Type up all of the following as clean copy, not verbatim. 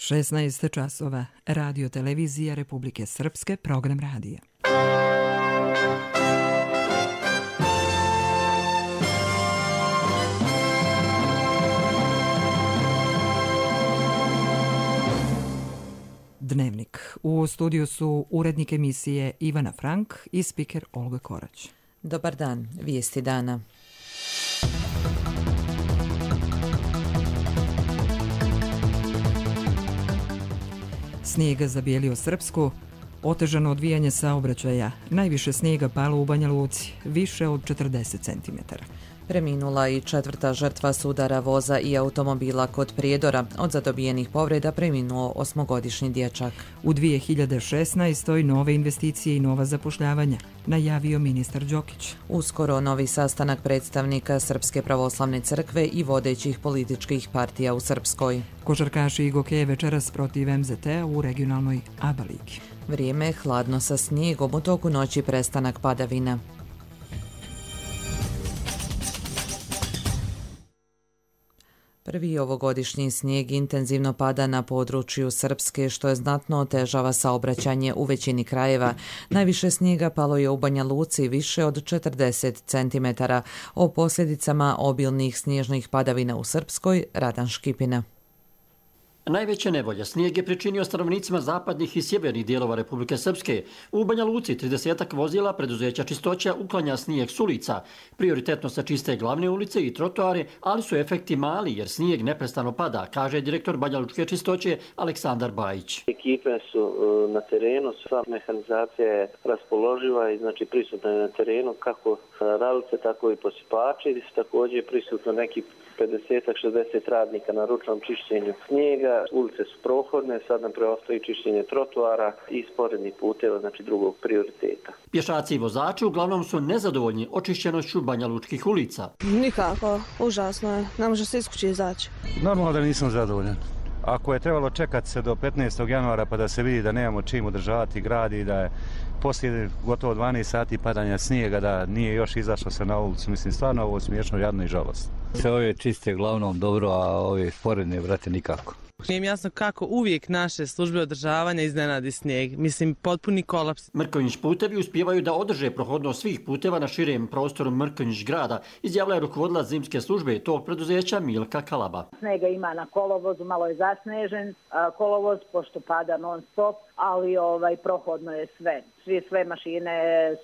16 časova. Radio televizija Republike Srpske, program radija. Dnevnik. U studiju su urednik emisije Ivana Frank i spiker Olga Korać. Dobar dan, vijesti dana. Snijeg zabijelio Srpsku, otežano odvijanje saobraćaja, najviše snijega palo u Banja Luci, više od 40 cm. Preminula i 4. žrtva sudara voza i automobila kod Prijedora. Od zadobijenih povreda preminuo 8-godišnji dječak. U 2016. nove investicije i nova zapošljavanja, najavio ministar Đokić. Uskoro novi sastanak predstavnika Srpske pravoslavne crkve i vodećih političkih partija u Srpskoj. Košarkaši i gokeje večeras protiv MZT-a u regionalnoj ABA ligi. Vrijeme hladno sa snijegom, u toku noći prestanak padavina. Prvi ovogodišnji snijeg intenzivno pada na području Srpske, što je znatno otežava saobraćanje u većini krajeva. Najviše snijega palo je u Banja Luci, više od 40 cm. O posljedicama obilnih snježnih padavina u Srpskoj, Radan Škipina. Najveće nevolje snijeg je pričinio stanovnicima zapadnih i sjevernih dijelova Republike Srpske. U Banja Luci 30 vozila preduzeća Čistoća uklanja snijeg s ulica. Prioritetno se čiste glavne ulice i trotoare, ali su efekti mali jer snijeg neprestano pada, kaže direktor Banja Lučke Čistoće Aleksandar Bajić. Ekipe su na terenu, sva mehanizacija je raspoloživa i znači prisutna je na terenu kako ralice, tako i posipači. Također je prisutno neki 50-60 radnika na ručnom čišćenju snijega. Ulice su prohodne, sad nam preostaje čišćenje trotoara i sporednih puteva, znači drugog prioriteta. Pješaci i vozači uglavnom su nezadovoljni očišćenošću Banja Lučkih ulica. Nikako, užasno je, ne može se iz kuće izaći. Normalno da nisam zadovoljan. Ako je trebalo čekati se do 15. januara pa da se vidi da nemamo čim održavati grad i da je poslije gotovo 12 sati padanja snijega da nije još izašlo se na ulicu, mislim stvarno ovo smiješno, jadno i žalostno. Sve ove čiste uglavnom dobro, a ove sporedne vrate nikako. Nije mi jasno kako uvijek naše službe održavanja iznenadi snijeg. Mislim, potpuni kolaps. Mrkonjić putevi uspijevaju da održe prohodnost svih puteva na širem prostoru Mrkonjić grada, izjavila je rukovodilac zimske službe tog preduzeća Milka Kalaba. Snega ima na kolovozu, malo je zasnežen kolovoz, pošto pada non stop, ali prohodno je sve. Sve mašine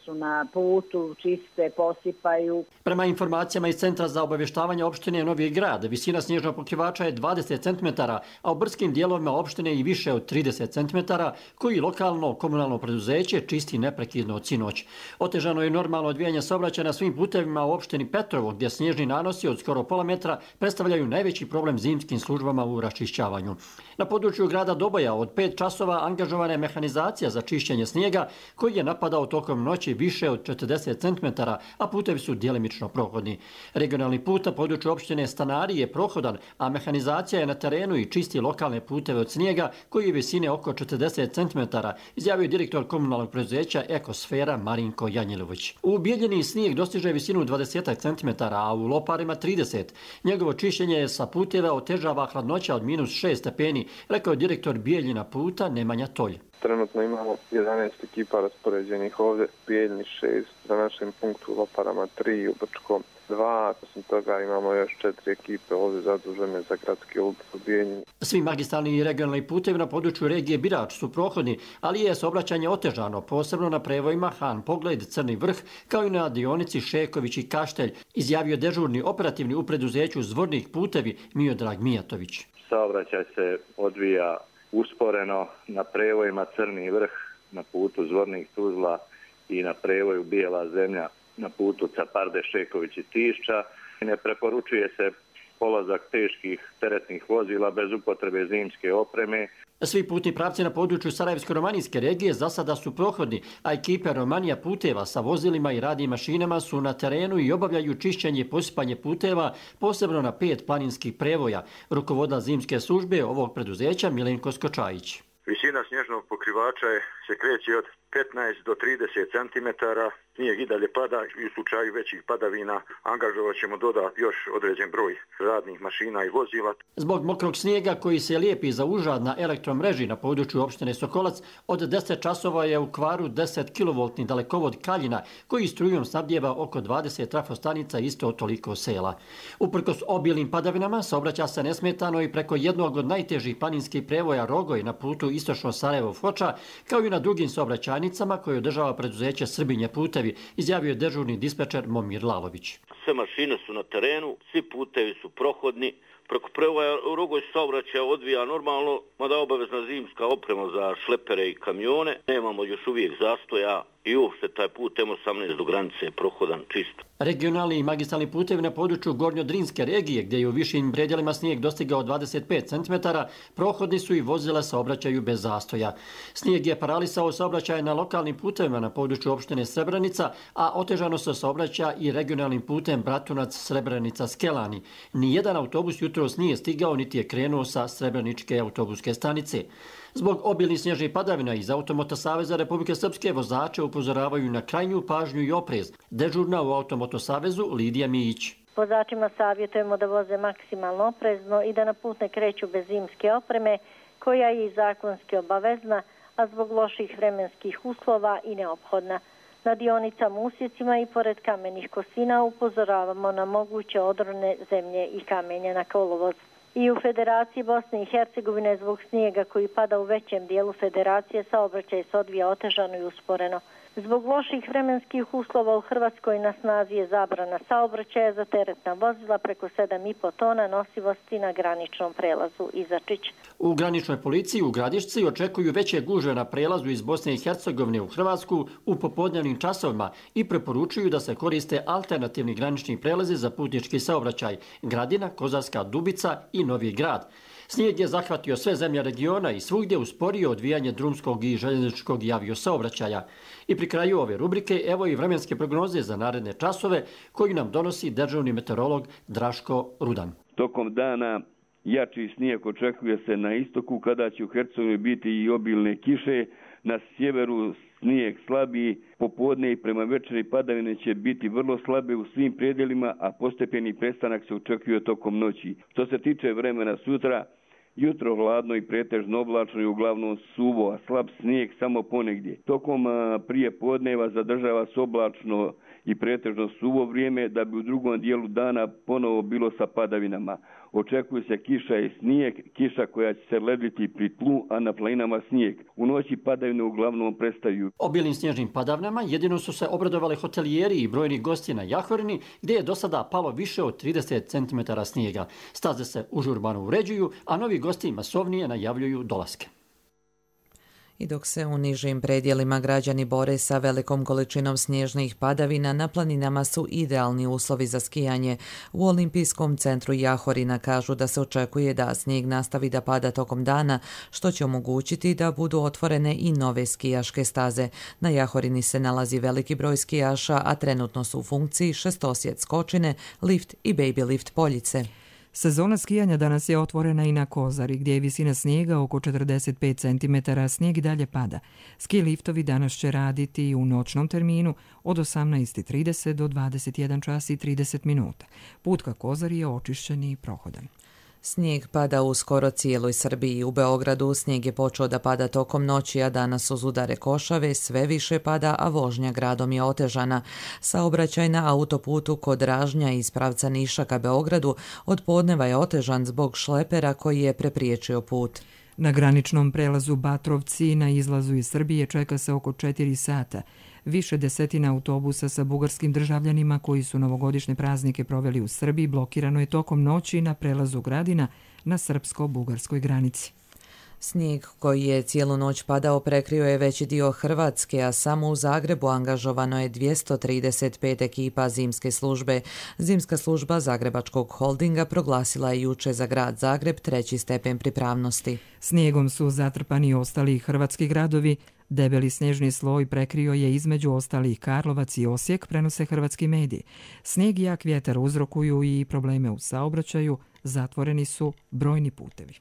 su na putu, čiste, posipaju. Prema informacijama iz Centra za obavještavanje opštine Novi Grad, visina snježnog pokrivača je 20 cm, a u brskim dijelovima opštine i više od 30 cm, koji lokalno komunalno preduzeće čisti neprekidno od sinoć. Otežano je normalno odvijanje saobraćaja na svim putevima u opštini Petrovo, gdje snježni nanosi od skoro pola metra predstavljaju najveći problem zimskim službama u raščišćavanju. Na području grada Doboja od 5 časova angažovana je mehanizacija za čišćenje snijega, koji je napadao tokom noći više od 40 cm, a putevi su djelimično prohodni. Regionalni put na području opštine Stanari je prohodan, a mehanizacija je na terenu i čisti lokalne puteve od snijega koji je visine oko 40 cm, izjavio direktor komunalnog preduzeća Ekosfera Marinko Janjelović. U Bijeljini snijeg dostiže visinu 20 cm, a u Loparima 30. Njegovo čišćenje sa puteva otežava hladnoća od -6 stepeni, rekao je direktor Bijeljina puta Nemanja Tolj. Trenutno imamo 11 ekipa raspoređenih ovdje, Bijeljini 6, na našem punktu u Loparama 3, u Brčkom 2, osim toga imamo još 4 ekipe ovdje zadužene za gradske ulice u Bijeljini. Svi magistralni i regionalni putevi na području regije Birač su prohodni, ali je saobraćanje otežano, posebno na prevojima Han Pogled, Crni vrh, kao i na dionici Šeković i Kaštelj, izjavio dežurni operativni u preduzeću Zvornih putevi Miodrag Mijatović. Saobraćaj se odvija usporeno na prevojima Crni vrh, na putu Zvornih Tuzla i na prevoju Bijela zemlja na putu Caparde, Šeković i Tišća. Ne preporučuje se polazak teških teretnih vozila bez upotrebe zimske opreme. Svi putni pravci na području Sarajevsko-romanijske regije za sada su prohodni, a ekipe Romanija puteva sa vozilima i radnim mašinama su na terenu i obavljaju čišćenje i posipanje puteva, posebno na 5 planinskih prevoja. Rukovodilac zimske službe ovog preduzeća Milenko Skočajić. Visina snježnog pokrivača se kreće od 15 do 30 cm, snijeg i dalje pada i u slučaju većih padavina angažovat ćemo dodati još određen broj radnih mašina i vozila. Zbog mokrog snijega koji se lijepi za užad na elektromreži na području opštine Sokolac, od 10 časova je u kvaru 10 kV dalekovod Kaljina koji strujom snabdijeva oko 20 trafostanica i isto toliko sela. Uprkos obilnim padavinama saobraća se nesmetano i preko jednog od najtežih planinskih prevoja Rogoj na putu istočno Sarajevo-Foča, kao i na drugim saobraćajnicama koje održava preduzeće Srbinje putevi, izjavio je dežurni dispečer Momir Lalović. Sve mašine su na terenu, svi putevi su prohodni, preko prevoja Rogoj saobraćaj odvija normalno, mada obavezna zimska oprema za šlepere i kamione. Nemamo još uvijek zastoja i uopšte taj put M18 do granice je prohodan čisto. Regionalni i magistralni putevi na području Gornjodrinske regije, gdje je u višim predjelima snijeg dostigao 25 cm, prohodni su i vozila saobraćaju bez zastoja. Snijeg je paralisao saobraćaj na lokalnim putevima na području opštine Srebrenica, a otežano se saobraća i regionalnim putem Bratunac-Srebrenica-Skelani. Nijedan autobus jutros nije stigao niti je krenuo sa Srebreničke autobuske stanice. Zbog obilnih snježnih padavina iz Automoto Saveza Republike Srpske vozače upozoravaju na krajnju pažnju i oprez. Dežurna u Automoto Savezu Lidija Mijić. Vozačima savjetujemo da voze maksimalno oprezno i da na put ne kreću bez zimske opreme, koja je i zakonski obavezna, a zbog loših vremenskih uslova i neophodna. Na dionicama, usjecima i pored kamenih kosina upozoravamo na moguće odrone zemlje i kamenja na kolovoz. I u Federaciji Bosne i Hercegovine zbog snijega koji pada u većem dijelu federacije saobraćaj se odvija otežano i usporeno. Zbog loših vremenskih uslova u Hrvatskoj na snazi je zabrana saobraćaja za teretna vozila preko 7,5 tona nosivosti na graničnom prelazu Izačić. U graničnoj policiji u Gradišci očekuju veće gužve na prelazu iz Bosne i Hercegovine u Hrvatsku u popodnevnim časovima i preporučuju da se koriste alternativni granični prelazi za putnički saobraćaj Gradina, Kozarska Dubica i Novi Grad. Snijeg je zahvatio sve zemlje regiona i svugdje usporio odvijanje drumskog i željezničkog i aviosaobraćaja. I pri kraju ove rubrike evo i vremenske prognoze za naredne časove koju nam donosi dežurni meteorolog Draško Rudan. Tokom dana jači snijeg očekuje se na istoku kada će u Hercegovini biti i obilne kiše, na sjeveru snijeg slabiji, popodne i prema večeri padavine će biti vrlo slabe u svim predjelima, a postepeni prestanak se očekuje tokom noći. Što se tiče vremena sutra, jutro hladno i pretežno oblačno i uglavnom suvo, a slab snijeg samo ponegdje. Tokom prije podneva zadržava se oblačno i pretežno suvo vrijeme da bi u drugom dijelu dana ponovo bilo sa padavinama. Očekuje se kiša i snijeg, kiša koja će se lediti pri tlu, a na planinama snijeg. U noći padavine uglavnom prestaju. Obilnim snježnim padavnama jedino su se obradovali hotelijeri i brojni gosti na Jahorini, gdje je do sada palo više od 30 cm snijega. Staze se užurbano uređuju, a novi gosti masovnije najavljuju dolaske. I dok se u nižim predjelima građani bore sa velikom količinom snježnih padavina, na planinama su idealni uslovi za skijanje. U Olimpijskom centru Jahorina kažu da se očekuje da snijeg nastavi da pada tokom dana, što će omogućiti da budu otvorene i nove skijaške staze. Na Jahorini se nalazi veliki broj skijaša, a trenutno su u funkciji šestosjed skočine, lift i baby lift poljice. Sezona skijanja danas je otvorena i na Kozari, gdje je visina snijega oko 45 cm, snijeg i dalje pada. Ski liftovi danas će raditi i u noćnom terminu od 18:30 do 21 čas i 30 minuta. Put ka Kozari je očišćen i prohodan. Snijeg pada u skoro cijeloj Srbiji. U Beogradu snijeg je počeo da pada tokom noći, a danas uz udare košave sve više pada, a vožnja gradom je otežana. Saobraćaj na autoputu kod Ražnja iz pravca Niša ka Beogradu od podneva je otežan zbog šlepera koji je prepriječio put. Na graničnom prelazu Batrovci na izlazu iz Srbije čeka se oko 4 sata. Više desetina autobusa sa bugarskim državljanima koji su novogodišnje praznike proveli u Srbiji blokirano je tokom noći na prelazu Gradina na srpsko-bugarskoj granici. Snijeg koji je cijelu noć padao prekrio je veći dio Hrvatske, a samo u Zagrebu angažovano je 235 ekipa zimske službe. Zimska služba Zagrebačkog holdinga proglasila je juče za grad Zagreb 3. stepen pripravnosti. Snijegom su zatrpani i ostali hrvatski gradovi. Debeli snježni sloj prekrio je između ostalih Karlovac i Osijek, prenose hrvatski mediji. Snijeg i jak vjetar uzrokuju i probleme u saobraćaju, zatvoreni su brojni putevi.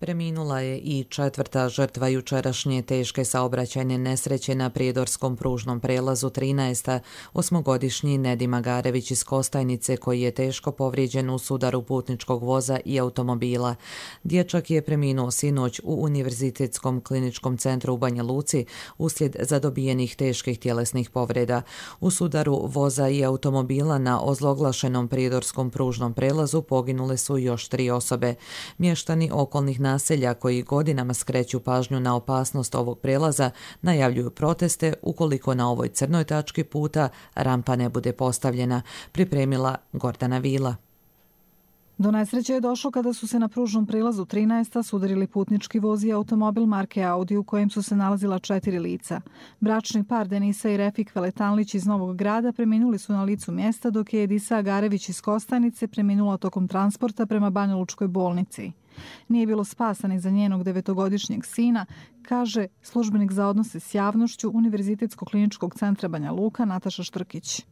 Preminula je i 4. žrtva jučerašnje teške saobraćajne nesreće na prijedorskom pružnom prelazu 13. osmogodišnji Nedi Magarević iz Kostajnice koji je teško povrijeđen u sudaru putničkog voza i automobila. Dječak je preminuo sinoć u Univerzitetskom kliničkom centru u Banja Luci uslijed zadobijenih teških tjelesnih povreda. U sudaru voza i automobila na ozloglašenom prijedorskom pružnom prelazu poginule su još 3 osobe. Mještani okolnih naselja koji godinama skreću pažnju na opasnost ovog prelaza najavljuju proteste ukoliko na ovoj crnoj tački puta rampa ne bude postavljena, pripremila Gordana Vila. Do nesreće je došlo kada su se na pružnom prelazu 13. sudarili putnički voz i automobil marke Audi u kojem su se nalazila 4 lica. Bračni par Denisa i Refik Veletanlić iz Novog Grada preminuli su na licu mjesta, dok je Edisa Agarević iz Kostajnice preminula tokom transporta prema Banjalučkoj bolnici. Nije bilo spasa ni za njenog 9-godišnjeg sina, kaže službenik za odnose s javnošću Univerzitetskog kliničkog centra Banja Luka Nataša Štrkić.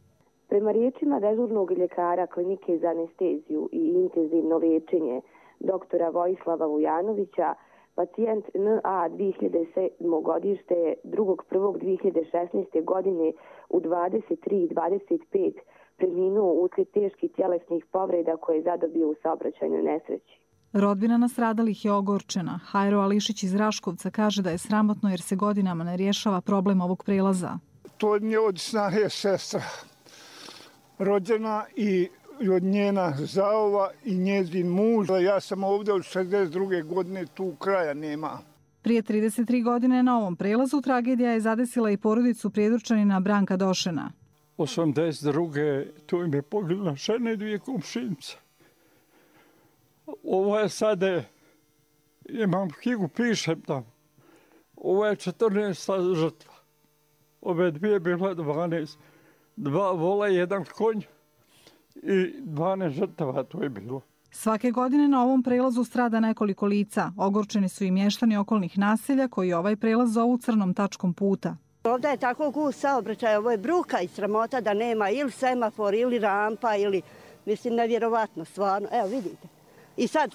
Prema riječima dežurnog ljekara klinike za anesteziju i intenzivno liječenje doktora Vojislava Vujanovića, pacijent NA 2007. godište 2.1.2016. godine u 23:25 preminuo uslijed teških tjelesnih povreda koje je zadobio u saobraćajnoj nesreći. Rodbina nastradalih je ogorčena. Hajro Ališić iz Raškovca kaže da je sramotno jer se godinama ne rješava problem ovog prelaza. To je od snahe sestra rođena i od njena zaova i njezin muž. Ja sam ovdje od 62. godine, tu kraja nema. Prije 33 godine na ovom prelazu tragedija je zadesila i porodicu prijedorčanina Branka Došena. 82. tu im je poginula žena i 2 komšinice. Ovo je sada, imam knjigu, pišem tamo. Ovo je 14. žrtva. Ove dvije bilo 12. 2 vola, 1 konj i 12 žrtava to je bilo. Svake godine na ovom prelazu strada nekoliko lica. Ogorčeni su i mještani okolnih naselja koji ovaj prelaz zovu crnom tačkom puta. Ovdje je tako gust saobraćaj, ovo je bruka i sramota da nema ili semafor ili rampa ili, mislim, nevjerovatno stvarno. Evo vidite. I sad,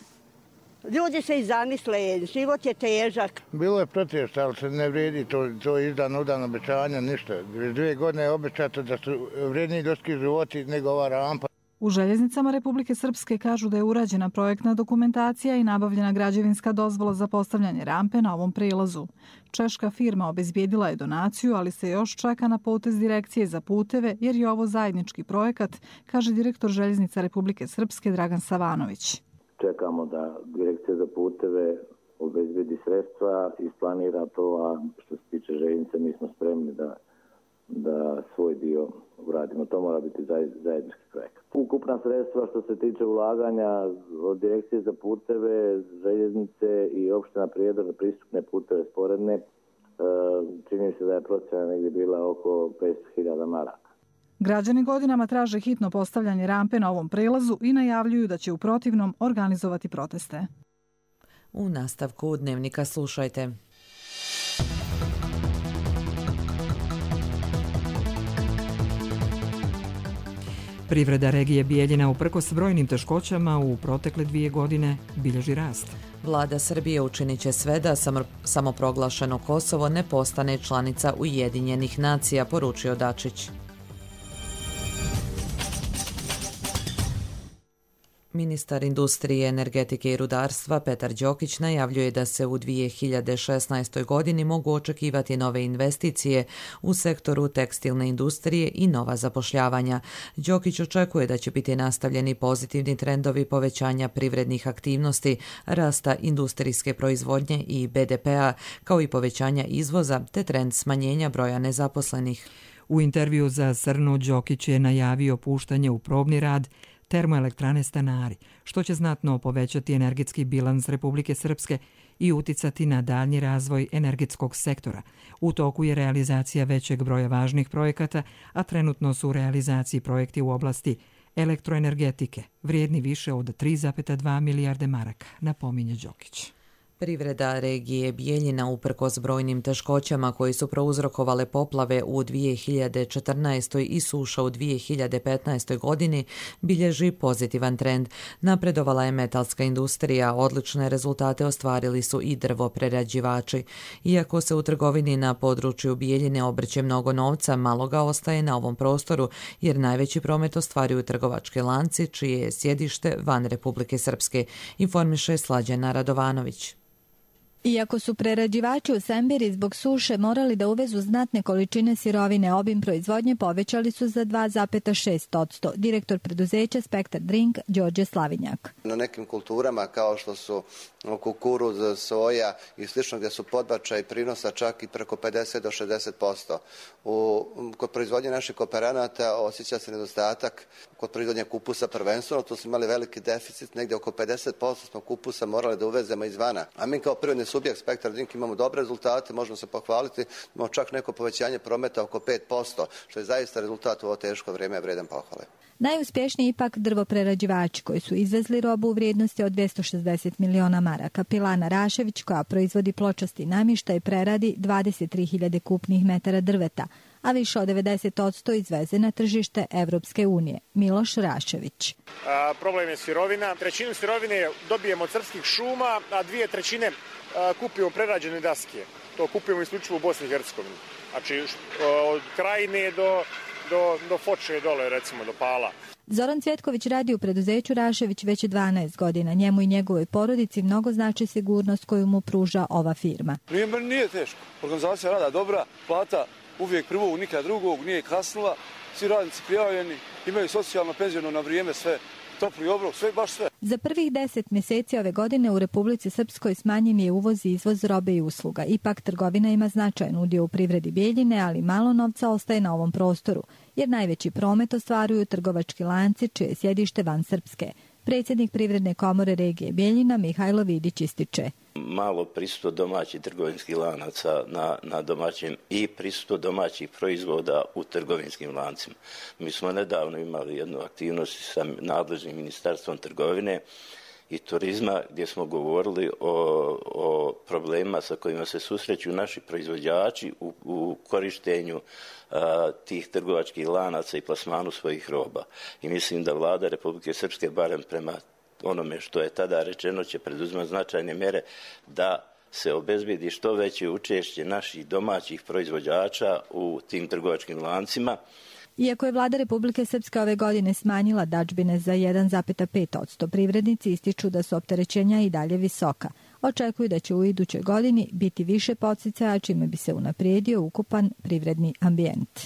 ljudi se i zamisle, život je težak. Bilo je protest, ali se ne vredi, to je izdan obećanja, ništa. 2 godine je obećato da su vredniji ljudski životi nego ova rampa. U Željeznicama Republike Srpske kažu da je urađena projektna dokumentacija i nabavljena građevinska dozvola za postavljanje rampe na ovom prelazu. Češka firma obezbijedila je donaciju, ali se još čeka na potez Direkcije za puteve jer je ovo zajednički projekat, kaže direktor Željeznica Republike Srpske Dragan Savanović. Čekamo da Direkcija za puteve obezbedi sredstva, isplanira to, a što se tiče željeznice mi smo spremni da svoj dio uradimo. To mora biti zajednički projekat. Ukupna sredstva što se tiče ulaganja od Direkcije za puteve, željeznice i opština Prijedor za pristupne puteve sporedne, čini se da je procjena negdje bila oko 500.000 maraka. Građani godinama traže hitno postavljanje rampe na ovom prelazu i najavljuju da će u protivnom organizovati proteste. U nastavku Dnevnika slušajte. Privreda regije Bijeljina uprkos brojnim teškoćama u protekle 2 godine bilježi rast. Vlada Srbije učinit će sve da samoproglašeno Kosovo ne postane članica Ujedinjenih nacija, poručio Dačić. Ministar industrije, energetike i rudarstva Petar Đokić najavljuje da se u 2016. godini mogu očekivati nove investicije u sektoru tekstilne industrije i nova zapošljavanja. Đokić očekuje da će biti nastavljeni pozitivni trendovi povećanja privrednih aktivnosti, rasta industrijske proizvodnje i BDP-a, kao i povećanja izvoza te trend smanjenja broja nezaposlenih. U intervju za Srnu Đokić je najavio puštanje u probni rad termoelektrane Stanari, što će znatno povećati energetski bilans Republike Srpske i uticati na daljnji razvoj energetskog sektora. U toku je realizacija većeg broja važnih projekata, a trenutno su u realizaciji projekti u oblasti elektroenergetike, vrijedni više od 3,2 milijarde maraka, napominje Đokić. Privreda regije Bijeljina uprkos brojnim teškoćama koji su prouzrokovale poplave u 2014. i suša u 2015. godini bilježi pozitivan trend. Napredovala je metalska industrija, odlične rezultate ostvarili su i drvoprerađivači. Iako se u trgovini na području Bijeljine obrće mnogo novca, malo ga ostaje na ovom prostoru jer najveći promet ostvaruju trgovački lanci čije je sjedište van Republike Srpske, informiše Slađana Radovanović. Iako su prerađivači u Sembiri zbog suše morali da uvezu znatne količine sirovine, obim proizvodnje povećali su za 2,6%. Direktor preduzeća Spektar Drink, Đorđe Slavinjak. Na nekim kulturama kao što su kukuruz, soja i slično gdje su podbačaj prinosa čak i preko 50 do 60%. Kod proizvodnje naših kooperanata osjeća se nedostatak kod proizvodnje kupusa prvenstveno. Tu smo imali veliki deficit, negdje oko 50% smo kupusa morali da uvezemo izvana. A mi kao privredni subjekt Spektar Drink imamo dobre rezultate, možemo se pohvaliti, imamo čak neko povećanje prometa oko 5%, što je zaista rezultat u ovo teško vrijeme vredan pohvale. Najuspješniji ipak drvoprerađivači koji su izvezli robu u vrijednosti od 260 miliona maraka. Pilana Rašević, koja proizvodi pločasti namještaj, preradi 23.000 kupnih metara drveta, a više od 90% izveze na tržište Evropske unije. Miloš Rašević. Problem je sirovina. Trećinu sirovine dobijemo od srpskih šuma, a 2/3 kupimo prerađene daske. To kupimo isključivo u Bosni i Hercegovini. Znači od Krajine do Foče dole, recimo do Pala. Zoran Cvjetković radi u preduzeću Rašević već 12 godina. Njemu i njegovoj porodici mnogo znači sigurnost koju mu pruža ova firma. Nije teško. Organizacija rada dobra, plata uvijek prvog, nikad drugog, nije kasnila. Svi radnici prijavljeni, imaju socijalno, penziono na vrijeme, sve. Topli obrok, sve, baš sve. Za prvih 10 mjeseci ove godine u Republici Srpskoj smanjen je uvoz i izvoz robe i usluga. Ipak trgovina ima značajan udio u privredi Bijeljine, ali malo novca ostaje na ovom prostoru, jer najveći promet ostvaruju trgovački lanci čije je sjedište van Srpske. Predsjednik Privredne komore regije Bijeljina Mihajlo Vidić ističe. Malo prisustvo domaćih trgovinskih lanaca na domaćem i prisustvo domaćih proizvoda u trgovinskim lancima. Mi smo nedavno imali jednu aktivnost sa nadležnim ministarstvom trgovine i turizma gdje smo govorili o problemima sa kojima se susreću naši proizvođači u korištenju tih trgovačkih lanaca i plasmanu svojih roba. I mislim da vlada Republike Srpske, barem prema onome što je tada rečeno, će preduzimati značajne mjere da se obezbedi što veće učešće naših domaćih proizvođača u tim trgovačkim lancima. Iako je vlada Republike Srpske ove godine smanjila dadžbine za 1,5%, privrednici ističu da su opterećenja i dalje visoka. Očekuju da će u idućoj godini biti više podsticaja, čime bi se unaprijedio ukupan privredni ambijent.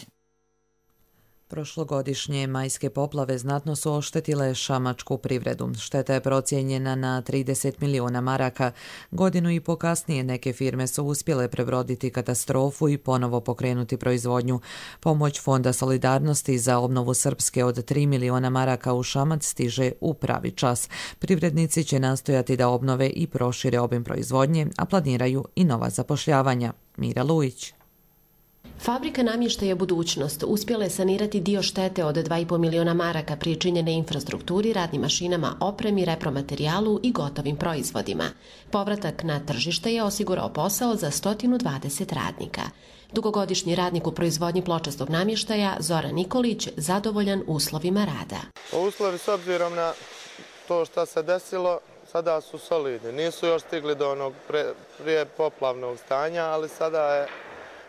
Prošlogodišnje majske poplave znatno su oštetile šamačku privredu. Šteta je procijenjena na 30 miliona maraka. Godinu i po kasnije neke firme su uspjele prebroditi katastrofu i ponovo pokrenuti proizvodnju. Pomoć Fonda solidarnosti za obnovu Srpske od 3 miliona maraka u Šamac stiže u pravi čas. Privrednici će nastojati da obnove i prošire obim proizvodnje, a planiraju i nova zapošljavanja. Mira Lujić. Fabrika namještaja Budućnost uspjela je sanirati dio štete od 2,5 miliona maraka pričinjene infrastrukturi, radnim mašinama, opremi, repromaterijalu i gotovim proizvodima. Povratak na tržište je osigurao posao za 120 radnika. Dugogodišnji radnik u proizvodnji pločastog namještaja Zoran Nikolić zadovoljan uslovima rada. Uslovi s obzirom na to što se desilo sada su solidni. Nisu još stigli do onog prije poplavnog stanja, ali sada je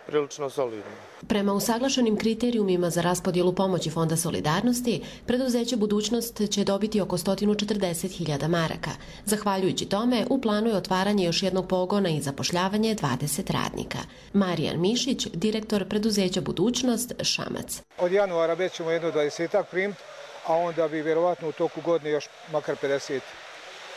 prilično solidno. Prema usaglašenim kriterijumima za raspodjelu pomoći Fonda solidarnosti, preduzeće Budućnost će dobiti oko 140.000 maraka. Zahvaljujući tome, u planu je otvaranje još jednog pogona i zapošljavanje 20 radnika. Marijan Mišić, direktor preduzeća Budućnost, Šamac. Od januara već ćemo jedno 20 primiti, a onda bi vjerovatno u toku godine još makar 50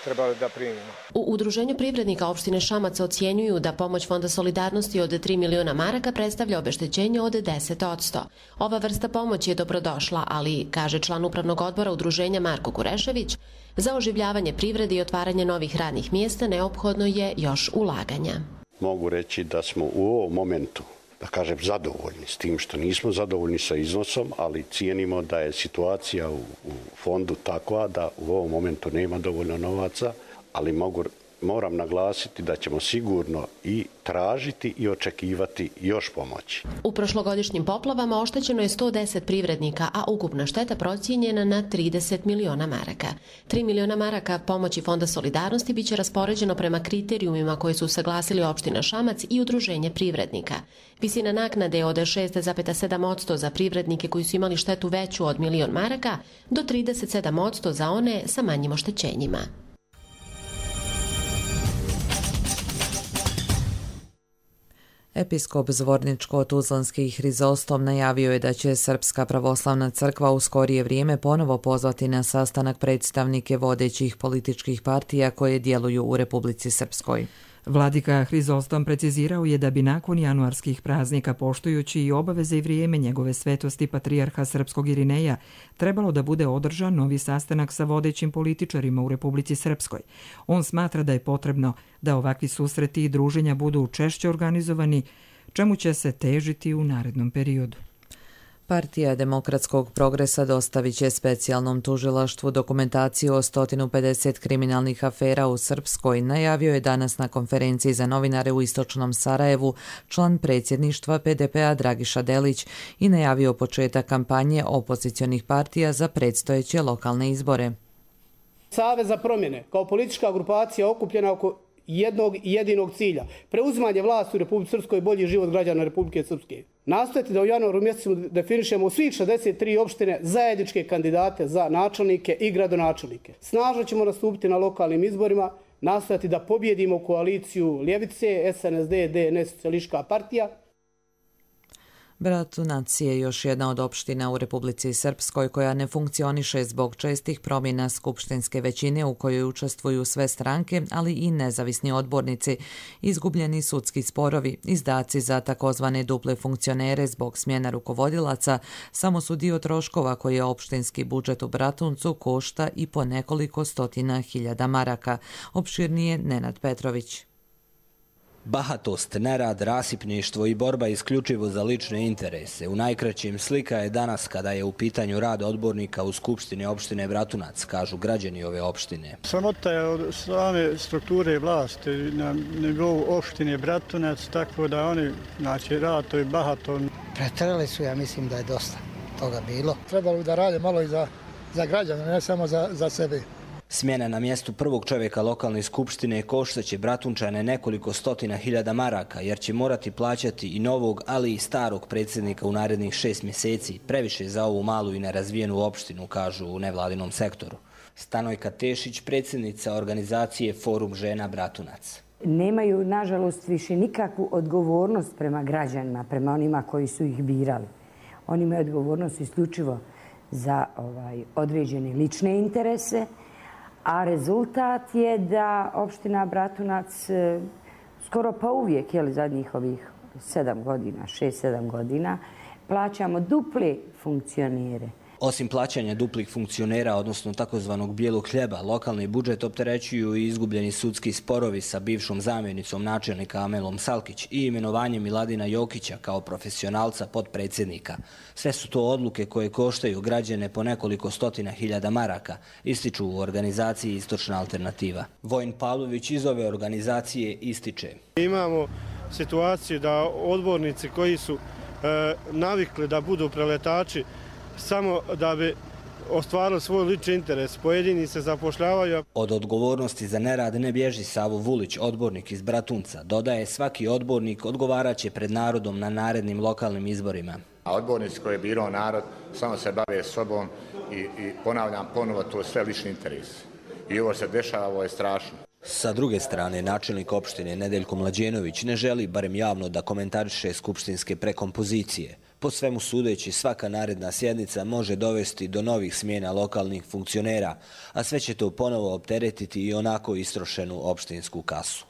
trebali da primimo. U Udruženju privrednika opštine Šamac ocjenjuju da pomoć Fonda solidarnosti od 3 miliona maraka predstavlja obeštećenje od 10%. Ova vrsta pomoći je dobrodošla, ali, kaže član upravnog odbora Udruženja Marko Kurešević, za oživljavanje privrede i otvaranje novih radnih mjesta neophodno je još ulaganja. Mogu reći da smo u ovom momentu, da kažem, zadovoljni s tim što nismo zadovoljni sa iznosom, ali cijenimo da je situacija u fondu takva da u ovom momentu nema dovoljno novaca, ali mogu moram naglasiti da ćemo sigurno i tražiti i očekivati još pomoći. U prošlogodišnjim poplavama oštećeno je 110 privrednika, a ukupna šteta procijenjena na 30 miliona maraka. 3 miliona maraka pomoći Fonda solidarnosti biće raspoređeno prema kriterijumima koje su saglasili opština Šamac i udruženje privrednika. Visina naknade je od 6,7% za privrednike koji su imali štetu veću od milion maraka do 37% za one sa manjim oštećenjima. Episkop Zvorničko-Tuzlanski Hrizostom najavio je da će Srpska pravoslavna crkva u skorije vrijeme ponovo pozvati na sastanak predstavnike vodećih političkih partija koje djeluju u Republici Srpskoj. Vladika Hrizostom precizirao je da bi nakon januarskih praznika, poštujući i obaveze i vrijeme njegove svetosti patrijarha Srpskog Irineja, trebalo da bude održan novi sastanak sa vodećim političarima u Republici Srpskoj. On smatra da je potrebno da ovakvi susreti i druženja budu češće organizovani, čemu će se težiti u narednom periodu. Partija Demokratskog progresa dostavit će specijalnom tužilaštvu dokumentaciju o 150 kriminalnih afera u Srpskoj, najavio je danas na konferenciji za novinare u Istočnom Sarajevu član predsjedništva PDP-a Dragiša Delić i najavio početak kampanje opozicionih partija za predstojeće lokalne izbore. Savez za promjene kao politička grupacija okupljena oko jednog i jedinog cilja, preuzimanje vlasti u Republici Srpskoj i bolji život građana Republike Srpske. Nastojati da u januaru mjesecu definišemo svih 63 opštine zajedničke kandidate za načelnike i gradonačelnike. Snažno ćemo nastupiti na lokalnim izborima, nastojati da pobjedimo koaliciju Ljevice, SNSD, DNS, Socijalistička partija. Bratunac je još jedna od opština u Republici Srpskoj koja ne funkcioniše zbog čestih promjena skupštinske većine u kojoj učestvuju sve stranke, ali i nezavisni odbornici, izgubljeni sudski sporovi, izdaci za takozvane duple funkcionere zbog smjena rukovodilaca, samo su dio troškova koje opštinski budžet u Bratuncu košta i po nekoliko stotina hiljada maraka. Opširnije Nenad Petrović. Bahatost, nerad, rasipništvo i borba isključivo za lične interese. U najkraćim slika je danas kada je u pitanju rad odbornika u Skupštini opštine Bratunac, kažu građani ove opštine. Sramota je od same strukture vlasti na nivou opštine Bratunac, tako da oni, znači, rad to je bahato. Pretrali su, ja mislim da je dosta toga bilo. Trebalo da rade malo i za građane, ne samo za sebe. Smjena na mjestu prvog čovjeka lokalne skupštine koštaće Bratunčane nekoliko stotina hiljada maraka, jer će morati plaćati i novog, ali i starog predsjednika u narednih 6 mjeseci, previše za ovu malu i nerazvijenu opštinu, kažu u nevladinom sektoru. Stanojka Tešić, predsjednica organizacije Forum žena Bratunac. Nemaju, nažalost, više nikakvu odgovornost prema građanima, prema onima koji su ih birali. Oni imaju odgovornost isključivo za određene lične interese, a rezultat je da opština Bratunac skoro pa uvijek, zadnjih ovih 6-7 godina, plaćamo duple funkcionere. Osim plaćanja duplih funkcionera, odnosno takozvanog bijelog hljeba, lokalni budžet opterećuju i izgubljeni sudski sporovi sa bivšom zamjenicom načelnika Amelom Salkić i imenovanjem Miladina Jokića kao profesionalca potpredsjednika. Sve su to odluke koje koštaju građane po nekoliko stotina hiljada maraka, ističu u organizaciji Istočna alternativa. Vojin Pavlović iz ove organizacije ističe. Imamo situaciju da odbornici koji su navikli da budu preletači samo da bi ostvarili svoj lični interes. Pojedini se zapošljavaju. Od odgovornosti za nerad ne bježi Savo Vulić, odbornik iz Bratunca. Dodaje, svaki odbornik odgovaraće pred narodom na narednim lokalnim izborima. A odbornici koje je birao narod samo se bave sobom i ponavljam ponovo, to je sve lični interes. I ovo se dešava, ovo je strašno. Sa druge strane, načelnik opštine Nedeljko Mlađenović ne želi, barem javno, da komentariše skupštinske prekompozicije. Po svemu sudeći, svaka naredna sjednica može dovesti do novih smjena lokalnih funkcionera, a sve će to ponovo opteretiti i onako istrošenu opštinsku kasu.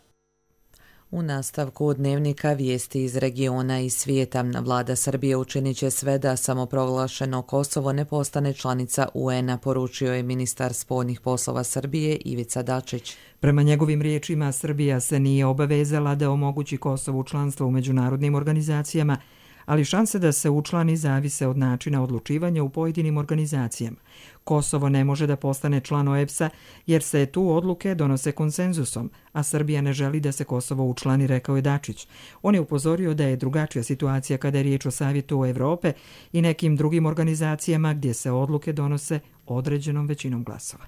U nastavku dnevnika vijesti iz regiona i svijeta, vlada Srbije učinit će sve da samoproglašeno Kosovo ne postane članica UN-a, poručio je ministar spoljnih poslova Srbije Ivica Dačić. Prema njegovim riječima, Srbija se nije obavezala da omogući Kosovu članstvo u međunarodnim organizacijama, ali šanse da se učlani zavise od načina odlučivanja u pojedinim organizacijama. Kosovo ne može da postane član OEBS-a jer se tu odluke donose konsenzusom, a Srbija ne želi da se Kosovo učlani, rekao je Dačić. On je upozorio da je drugačija situacija kada je riječ o Savjetu Evrope i nekim drugim organizacijama gdje se odluke donose određenom većinom glasova.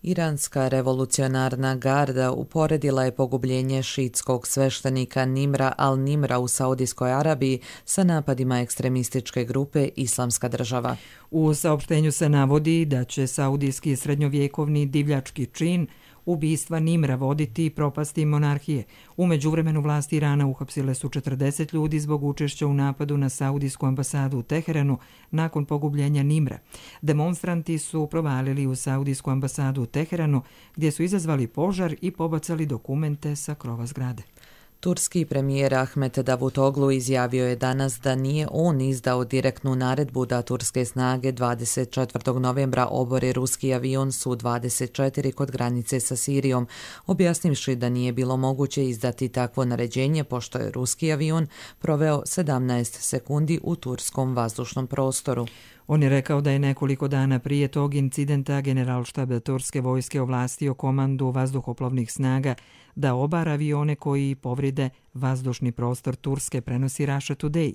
Iranska revolucionarna garda uporedila je pogubljenje šiitskog sveštenika Nimra al-Nimra u Saudijskoj Arabiji sa napadima ekstremističke grupe Islamska država. U saopštenju se navodi da će saudijski srednjovjekovni divljački čin ubistva Nimra voditi propasti monarhije. U međuvremenu vlasti Irana uhapsile su 40 ljudi zbog učešća u napadu na saudijsku ambasadu u Teheranu nakon pogubljenja Nimra. Demonstranti su provalili u saudijsku ambasadu u Teheranu gdje su izazvali požar i pobacali dokumente sa krova zgrade. Turski premijer Ahmet Davutoglu izjavio je danas da nije on izdao direktnu naredbu da turske snage 24. novembra obore ruski avion Su-24 kod granice sa Sirijom, objasnivši da nije bilo moguće izdati takvo naređenje pošto je ruski avion proveo 17 sekundi u turskom vazdušnom prostoru. On je rekao da je nekoliko dana prije tog incidenta Generalštab turske vojske ovlastio komandu vazduhoplovnih snaga da obara avione koji povrede vazdušni prostor Turske, prenosi Russia Today.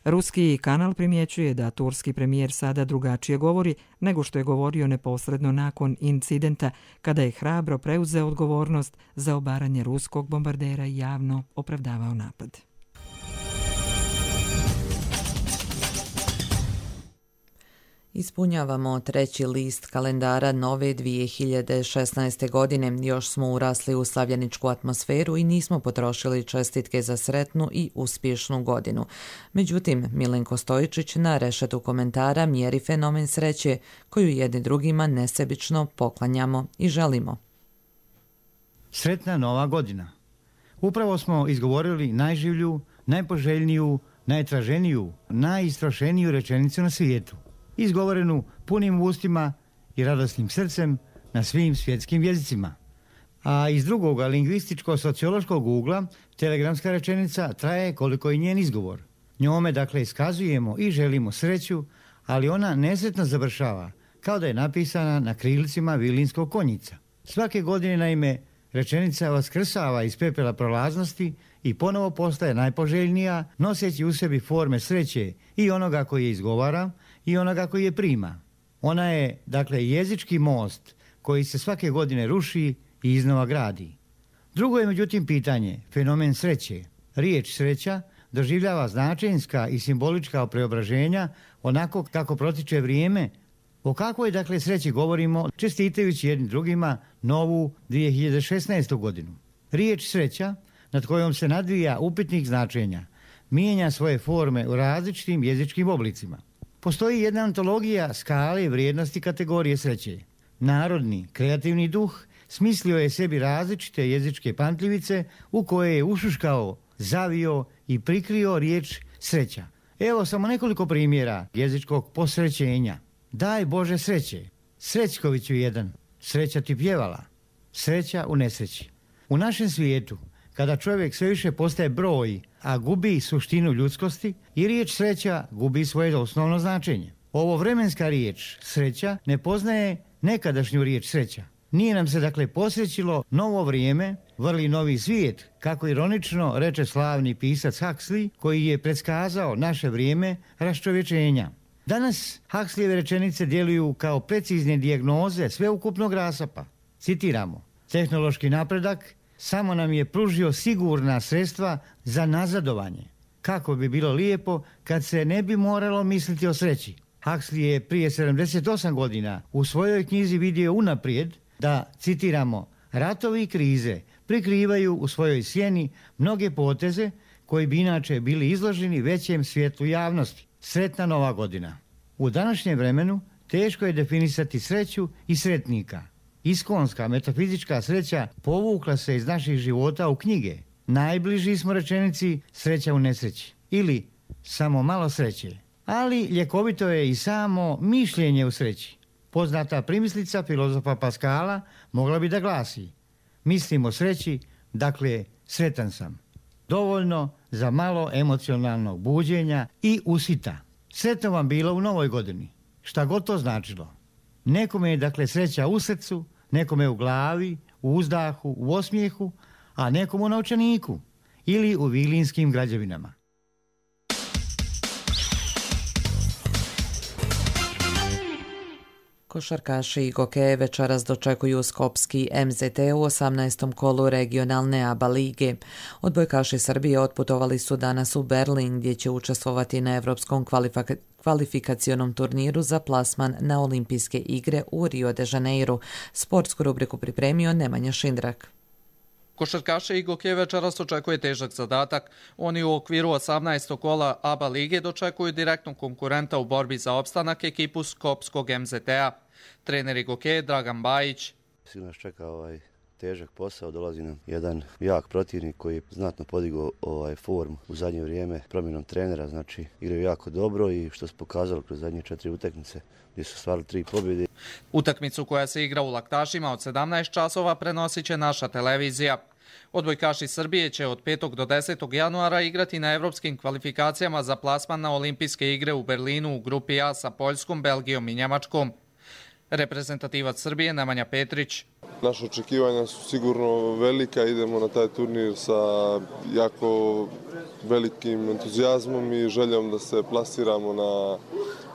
Ruski kanal primjećuje da turski premijer sada drugačije govori nego što je govorio neposredno nakon incidenta kada je hrabro preuzeo odgovornost za obaranje ruskog bombardera i javno opravdavao napad. Ispunjavamo 3. list kalendara nove 2016. godine. Još smo urasli u slavljeničku atmosferu i nismo potrošili čestitke za sretnu i uspješnu godinu. Međutim, Milenko Stojičić na rešetu komentara mjeri fenomen sreće koju jedni drugima nesebično poklanjamo i želimo. Sretna nova godina. Upravo smo izgovorili najživlju, najpoželjniju, najtraženiju, najistrošeniju rečenicu na svijetu. Izgovorenu punim ustima i radosnim srcem na svim svjetskim jezicima. A iz drugoga lingvističko-sociološkog ugla telegramska rečenica traje koliko i njen izgovor. Njome dakle iskazujemo i želimo sreću, ali ona nesretno završava kao da je napisana na krilcima vilinskog konjica. Svake godine naime rečenica vaskrsava iz pepela prolaznosti i ponovo postaje najpoželjnija, noseći u sebi forme sreće i onoga koji je izgovara i onoga koji je prima. Ona je, dakle, jezički most koji se svake godine ruši i iznova gradi. Drugo je, međutim, pitanje, fenomen sreće. Riječ sreća doživljava značenjska i simbolička preobraženja onako kako protiče vrijeme. O kakvoj, dakle, sreći govorimo čestitajući jednim drugima novu 2016. godinu. Riječ sreća, nad kojom se nadvija upitnik značenja, mijenja svoje forme u različitim jezičkim oblicima. Postoji jedna antologija skale vrijednosti kategorije sreće. Narodni, kreativni duh smislio je sebi različite jezičke pamtljivice u koje je ušuškao, zavio i prikrio riječ sreća. Evo samo nekoliko primjera jezičkog posrećenja. Daj Bože sreće, Srećkoviću jedan, sreća ti pjevala, sreća u nesreći. U našem svijetu, kada čovjek sve više postaje broj, a gubi suštinu ljudskosti, i riječ sreća gubi svoje osnovno značenje. Ovo vremenska riječ sreća ne poznaje nekadašnju riječ sreća. Nije nam se dakle posrećilo novo vrijeme, vrli novi svijet, kako ironično reče slavni pisac Huxley, koji je predskazao naše vrijeme raščovječenja. Danas Huxleyjeve rečenice djeluju kao precizne dijagnoze sveukupnog rasapa. Citiramo, tehnološki napredak samo nam je pružio sigurna sredstva za nazadovanje. Kako bi bilo lijepo kad se ne bi moralo misliti o sreći. Huxley je prije 78 godina u svojoj knjizi vidio unaprijed da, citiramo, ratovi i krize prikrivaju u svojoj sjeni mnoge poteze koji bi inače bili izloženi većem svjetlu javnosti. Sretna nova godina. U današnjem vremenu teško je definisati sreću i sretnika. Iskonska metafizička sreća povukla se iz naših života u knjige. Najbliži smo rečenici sreća u nesreći ili samo malo sreće. Ali ljekovito je i samo mišljenje u sreći. Poznata primislica filozofa Paskala mogla bi da glasi: mislim o sreći, dakle sretan sam. dovoljno za malo emocionalnog buđenja i usita. Sretno vam bilo u novoj godini, šta god to značilo. Nekome je dakle sreća u srcu, nekome u glavi, u uzdahu, u osmijehu, a nekomu u novčaniku ili u vilinskim građevinama. Košarkaši i hokeje večeras dočekuju skopski MZT u 18. kolu regionalne ABA lige. Odbojkaši Srbije otputovali su danas u Berlin gdje će učestvovati na evropskom kvalifikacionom turniru za plasman na olimpijske igre u Rio de Janeiru. Sportsku rubriku pripremio Nemanja Šindrak. Košarkaše i hokeje večeras očekuje težak zadatak. Oni u okviru 18. kola ABA lige dočekuju direktnog konkurenta u borbi za opstanak, ekipu skopskog MZT-a. Trener i hokeje Dragan Bajić. Sigurno nas čeka težak posao, dolazi nam jedan jak protivnik koji je znatno podigao formu u zadnje vrijeme promjenom trenera, znači igraju jako dobro i što se pokazalo kroz zadnje 4 utakmice gdje su stvarili 3 pobjede. Utakmicu koja se igra u Laktašima od 17 časova prenosit će naša televizija. Odbojkaši Srbije će od 5. do 10. januara igrati na evropskim kvalifikacijama za plasman na olimpijske igre u Berlinu u grupi A sa Poljskom, Belgijom i Njemačkom. Reprezentativac Srbije Nemanja Petrić. Naše očekivanja su sigurno velika, idemo na taj turnir sa jako velikim entuzijazmom i željom da se plasiramo na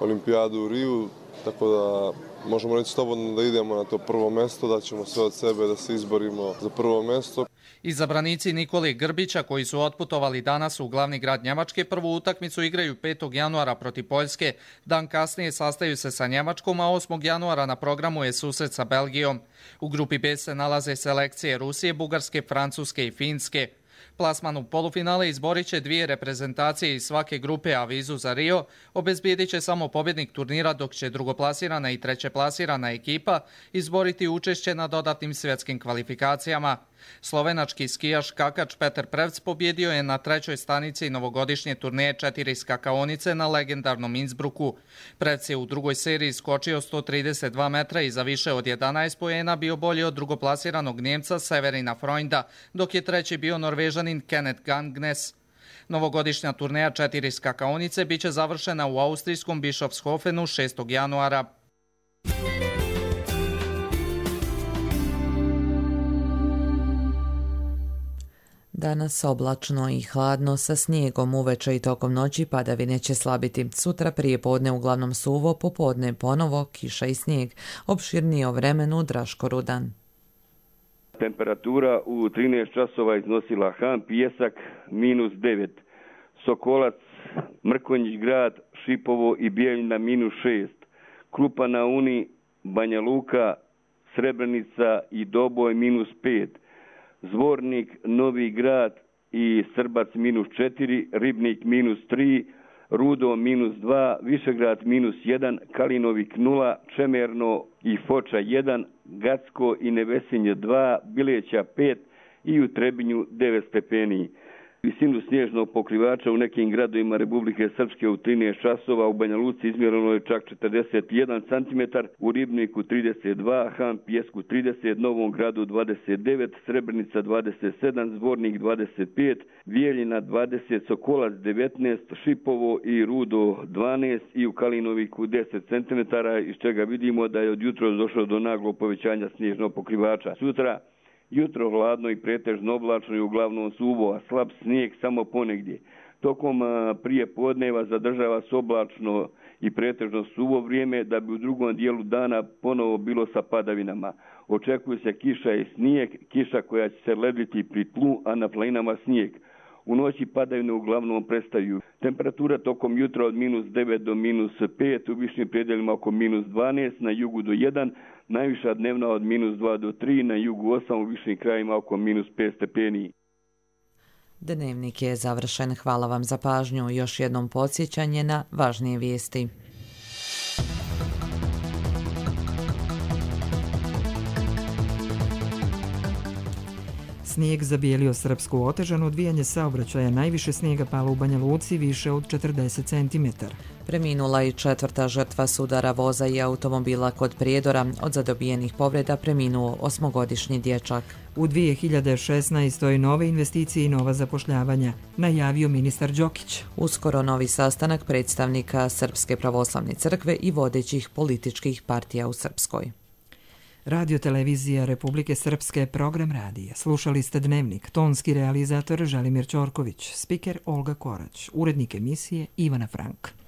olimpijadu u Riju, tako da možemo reći slobodno da idemo na to prvo mjesto, da ćemo sve od sebe da se izborimo za prvo mjesto. Izabranici Nikole Grbića koji su otputovali danas u glavni grad Njemačke prvu utakmicu igraju 5. januara protiv Poljske. Dan kasnije sastaju se sa Njemačkom, a 8. januara na programu je susret sa Belgijom. U grupi B se nalaze selekcije Rusije, Bugarske, Francuske i Finske. Plasman u polufinale izborit će 2 reprezentacije iz svake grupe, a vizu za Rio obezbijedit će samo pobjednik turnira, dok će drugoplasirana i trećeplasirana ekipa izboriti učešće na dodatnim svjetskim kvalifikacijama. Slovenački skijaš skakač Petar Prevc pobjedio je na 3. stanici novogodišnje turneje 4 skakaonice na legendarnom Innsbrucku. Prevc je u drugoj seriji skočio 132 metra i za više od 11 poena bio bolji od drugoplasiranog Njemca Severina Freunda, dok je treći bio Norvežanin Kenneth Gangnes. Novogodišnja turneja 4 skakaonice biće završena u austrijskom Bischofshofenu 6. januara. Danas oblačno i hladno sa snijegom, uveče i tokom noći padavine će slabiti. Sutra prije podne uglavnom suvo, popodne ponovo kiša i snijeg. Opširnije o vremenu Draško Rudan. Temperatura u 13 časova iznosila Han Pijesak -9, Sokolac, Mrkonjić grad, Šipovo i Bijeljina -6, Krupa na Uni, Banja Luka, Srebrenica i Doboj -5, Zvornik, Novi grad i Srbac -4, Ribnik -3, Rudo -2, Višegrad -1, Kalinovik 0, Čemerno i Foča 1, Gacko i Nevesinje 2, Bileća 5 i u Trebinju 9 stepeni. Visinu snježnog pokrivača u nekim gradovima Republike Srpske u 13 časova, u Banja Luci izmjereno je čak 41 cm, u Ribniku 32, Han Pijesku 30, Novom gradu 29, Srebrenica 27, Zvornik 25, Vijeljina 20, Sokolac 19, Šipovo i Rudo 12 i u Kalinoviku 10 cm, iz čega vidimo da je od jutra došlo do naglog povećanja snježnog pokrivača. Sutra jutro hladno i pretežno oblačno i uglavnom suvo, a slab snijeg samo ponegdje. Tokom prije podneva zadržava se oblačno i pretežno suvo vrijeme, da bi u drugom dijelu dana ponovo bilo sa padavinama. Očekuje se kiša i snijeg, kiša koja će se lediti pri tlu, a na planinama snijeg. U noći padavine uglavnom prestaju. Temperatura tokom jutra od -9 do -5, u višim predjelima oko -12, na jugu do 1, najviša dnevna od -2 do 3, na jugu 8, u višim krajima oko -5 stepeni. Dnevnik je završen. Hvala vam za pažnju. Još jednom podsjećanje na važnije vijesti. Snijeg zabijelio Srpsku, otežano odvijanje saobraćaja, najviše snijega palo u Banja Luci, više od 40 cm. Preminula i 4. žrtva sudara voza i automobila kod Prijedora. Od zadobijenih povreda preminuo 8-godišnji dječak. U 2016. nove investicije i nova zapošljavanja, najavio ministar Đokić. Uskoro novi sastanak predstavnika Srpske pravoslavne crkve i vodećih političkih partija u Srpskoj. Radio televizija Republike Srpske, program radija. Slušali ste Dnevnik, tonski realizator Želimir Ćorković, spiker Olga Korać, urednik emisije Ivana Frank.